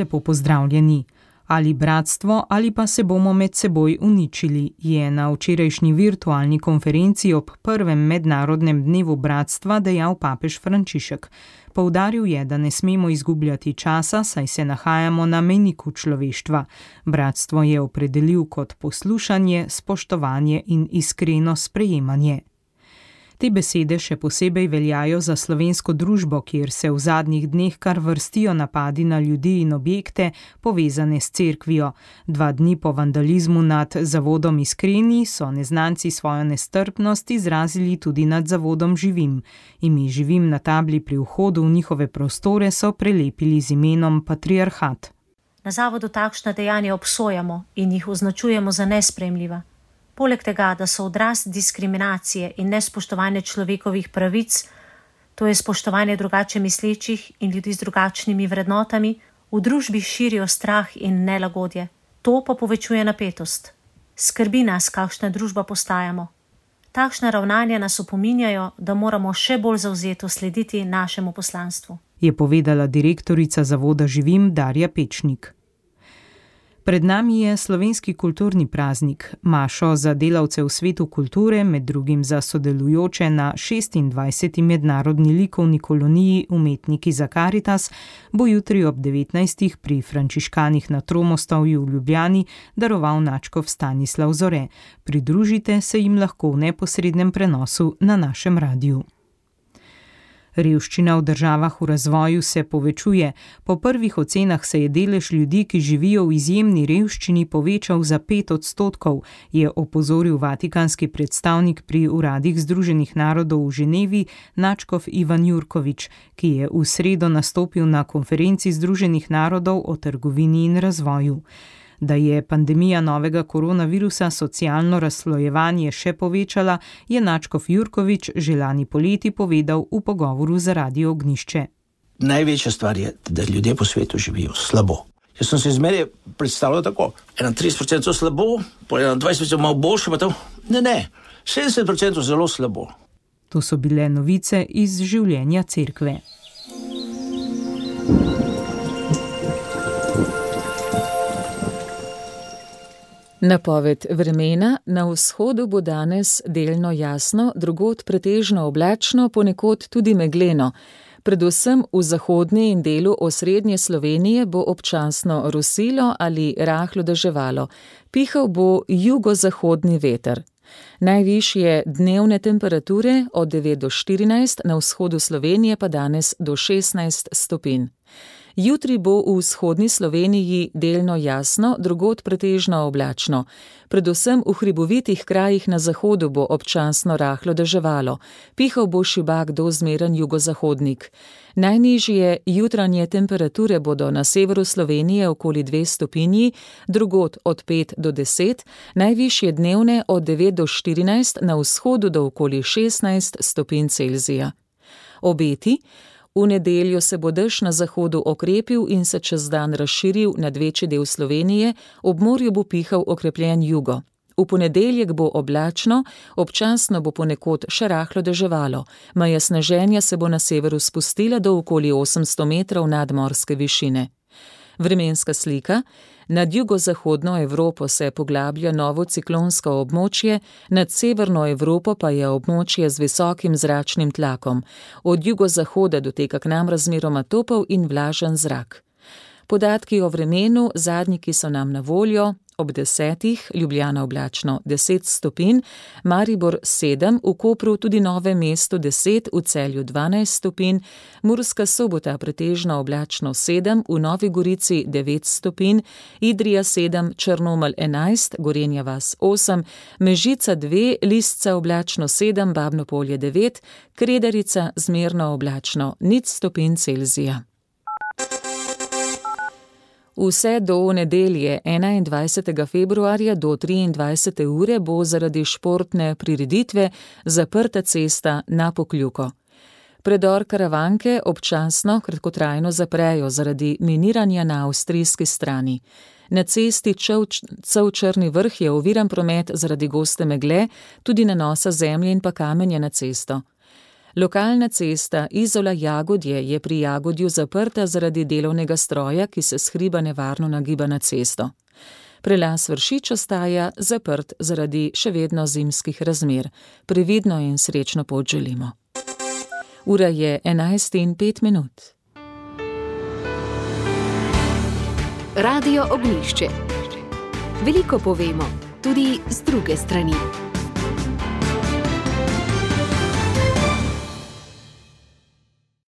Lepo pozdravljeni. Ali bratstvo ali pa se bomo med seboj uničili, je na včerajšnji virtualni konferenci ob prvem mednarodnem dnevu bratstva dejal papež Frančišek. Poudaril je, da ne smemo izgubljati časa, saj se nahajamo na mejniku človeštva. Bratstvo je opredelil kot poslušanje, spoštovanje in iskreno sprejemanje. Te besede še posebej veljajo za slovensko družbo, kjer se v zadnjih dneh kar vrstijo napadi na ljudi in objekte, povezane s cerkvijo. 2 dni po vandalizmu nad zavodom Iskreni so neznanci svojo nestrpnost izrazili tudi nad zavodom Živim. Ime Živim na tabli pri vhodu v njihove prostore so prelepili z imenom Patriarhat. Na zavodu takšna dejanja obsojamo in jih označujemo za nesprejemljiva. Poleg tega, da so odraz diskriminacije in nespoštovanje človekovih pravic, to je spoštovanje drugače mislečih in ljudi z drugačnimi vrednotami, v družbi širijo strah in nelagodje. To pa povečuje napetost. Skrbi nas, kakšna družba postajamo. Takšna ravnanja nas opominjajo, da moramo še bolj zavzeto slediti našemu poslanstvu, je povedala direktorica zavoda Živim Darja Pečnik. Pred nami je slovenski kulturni praznik. Mašo za delavce v svetu kulture, med drugim za sodelujoče na 26. mednarodni likovni koloniji Umetniki za Karitas, bo jutri ob 19. pri Frančiškanih na Tromostovju v Ljubljani daroval nadškof Stanislav Zore. Pridružite se jim lahko v neposrednem prenosu na našem radiju. Revščina v državah v razvoju se povečuje. Po prvih ocenah se je delež ljudi, ki živijo v izjemni revščini, povečal za 5%, je opozoril vatikanski predstavnik pri uradih Združenih narodov v Ženevi, nadškof Ivan Jurkovič, ki je v sredo nastopil na konferenci Združenih narodov o trgovini in razvoju. Da je pandemija novega koronavirusa socialno razslojevanje še povečala, je nadškof Jurkovič že lani poleti povedal v pogovoru za Radio Ognjišče. Največja stvar je, da ljudje po svetu živijo slabo. Jaz sem se zmeraj predstavljal tako, 31% slabo, po 21% malo boljše, pa to. Ne, 70% zelo slabo. To so bile novice iz življenja cerkve. Napoved vremena: na vzhodu bo danes delno jasno, drugod pretežno oblačno, ponekod tudi megleno. Predvsem v zahodni in delu osrednje Slovenije bo občasno rosilo ali rahlo deževalo. Pihal bo jugozahodni veter. Najvišje dnevne temperature od 9 do 14, na vzhodu Slovenije pa danes do 16 stopinj. Jutri bo v vzhodni Sloveniji delno jasno, drugod pretežno oblačno. Predvsem v hribovitih krajih na zahodu bo občasno rahlo deževalo. Pihal bo šibak do zmeren jugozahodnik. Najnižje jutranje temperature bodo na severu Slovenije okoli 2 stopinji, drugod od 5 do 10, najvišje dnevne od 9 do 14, na vzhodu do okoli 16 stopinj Celzija. Obeti: v nedeljo se bo dež na zahodu okrepil in se čez dan razširil nad večji del Slovenije, ob morju bo pihal okrepljen jugo. V ponedeljek bo oblačno, občasno bo ponekod še rahlo deževalo. Meja sneženja se bo na severu spustila do okoli 800 metrov nadmorske višine. Vremenska slika: nad jugozahodno Evropo se poglablja novo ciklonsko območje, nad severno Evropo pa je območje z visokim zračnim tlakom. Od jugozahoda doteka k nam razmeroma topel in vlažen zrak. Podatki o vremenu, zadnji, ki so nam na voljo: ob 10, Ljubljana oblačno 10 stopinj, Maribor 7, v Kopru tudi Novem mestu 10, v Celju 12 stopinj, Murska Sobota pretežno oblačno 7, v Novi Gorici 9 stopinj, Idrija 7, Črnomelj 11, Gorenja vas 8, Mežica 2, Lisca oblačno 7, Babno Polje 9, Kredarica zmerno oblačno 0 stopinj Celzija. Vse do nedelje 21. februarja do 23. ure bo zaradi športne prireditve zaprta cesta na Pokljuko. Predor Karavanke občasno kratkotrajno zaprejo zaradi miniranja na avstrijski strani. Na cesti Čevč-Črni Vrh je oviran promet zaradi goste megle, tudi nanosa zemlje in pa kamenja na cesto. Lokalna cesta Izola-Jagodje je pri Jagodju zaprta zaradi delovnega stroja, ki se s hriba nevarno nagiba na cesto. Prelaz Vršič ostaja zaprt zaradi še vedno zimskih razmer. Previdno in srečno pot želimo. Ura je 11:05. Radio Ognjišče. Veliko povemo, tudi z druge strani.